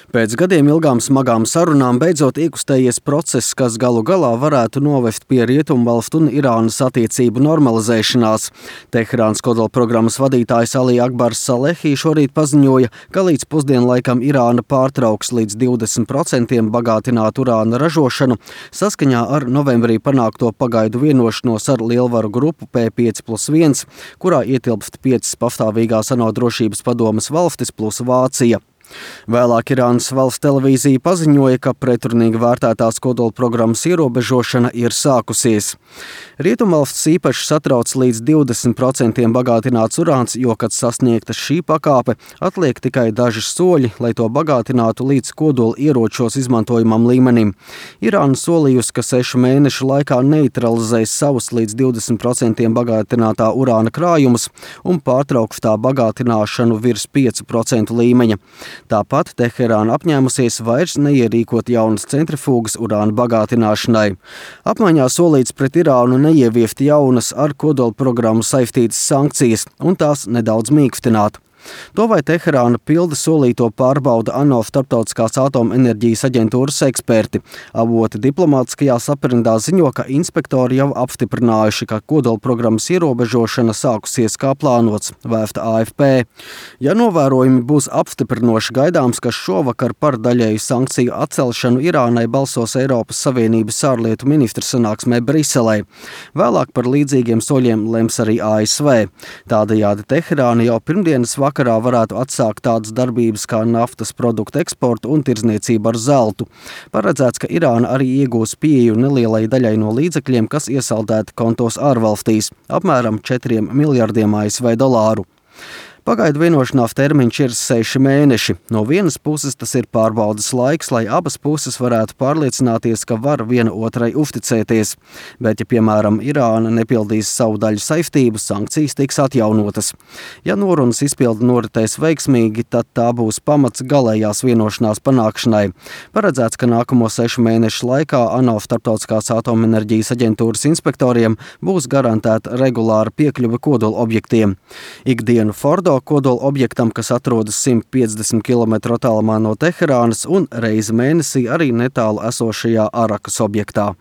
Pēc gadiem ilgām smagām sarunām beidzot iekustējies process, kas galu galā varētu novest pie Rietumvalstu un Irānas attiecību normalizēšanās. Teherānas kodolprogrammas vadītājs Ali Akbars Salehi šorīt paziņoja, ka līdz pusdienlaikam Irāna pārtrauks līdz 20% bagātinātu urāna ražošanu saskaņā ar novembrī panākto pagaidu vienošanos ar lielvaru grupu P5+1, kurā ietilpst 5 pastāvīgās ANO drošības padomes valstis plus Vācija. Vēlāk Irānas valsts televīzija paziņoja, ka pretrunīgi vērtētās kodolprogrammas ierobežošana ir sākusies. Rietumvalstis īpaši satrauc līdz 20% bagātināts urāns, jo, kad sasniegta šī pakāpe, atliek tikai daži soļi, lai to bagātinātu līdz kodola ieročos izmantojamam līmenim. Irāna solījusi, ka 6 mēnešu laikā neutralizēs savus līdz 20% bagātinātā urāna krājumus un pārtrauks tā bagātināšanu virs 5% līmeņa. Tāpat Teherāna apņēmusies vairs neierīkot jaunas centrifūgas urāna bagātināšanai. Apmaiņā solīts pret Irānu neieviest jaunas ar kodolprogrammu saistītas sankcijas un tās nedaudz mīkstināt. To, vai Teherāna pilda solīto, pārbauda ANO Starptautiskās atomenerģijas aģentūras eksperti. Avoti diplomātiskajā saprindā ziņo, ka inspektori jau apstiprinājuši, ka kodolprogrammas ierobežošana sākusies kā plānots, vēsta AFP. Ja novērojumi būs apstiprinoši, gaidāms, ka šovakar par daļēju sankciju atcelšanu Irānai balsos Eiropas Savienības ārlietu ministru sanāksmē Briselē. Vēlāk par līdzīgiem soļiem lems arī ASV. Tādējādi Teherāna jau pirmdienas vakarā varētu atsākt tādas darbības kā naftas produktu eksportu un tirdzniecību ar zeltu. Paredzēts, ka Irāna arī iegūs pieeju nelielai daļai no līdzekļiem, kas iesaldēti kontos ārvalstīs, apmēram 4 miljardiem ASV dolāru. Pagaidu vienošanās termiņš ir 6 mēneši. No vienas puses tas ir pārbaudas laiks, lai abas puses varētu pārliecināties, ka var viena otrai uzticēties. Bet, ja, piemēram, Irāna nepildīs savu daļu saistību, sankcijas tiks atjaunotas. Ja norunas izpilde noritēs veiksmīgi, tad tā būs pamats galējās vienošanās panākšanai. Paredzēts, ka nākamo 6 mēnešu laikā ANO Starptautiskās atomenerģijas aģentūras inspektoriem būs garantēta regulāra piekļuve kodola objektiem. Ikdienu Fordo kodola objektam, kas atrodas 150 km attālumā no Teherānas un reizi mēnesī arī netālu esošajā Arakas objektā.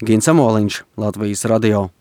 Gins Amoliņš, Latvijas radio.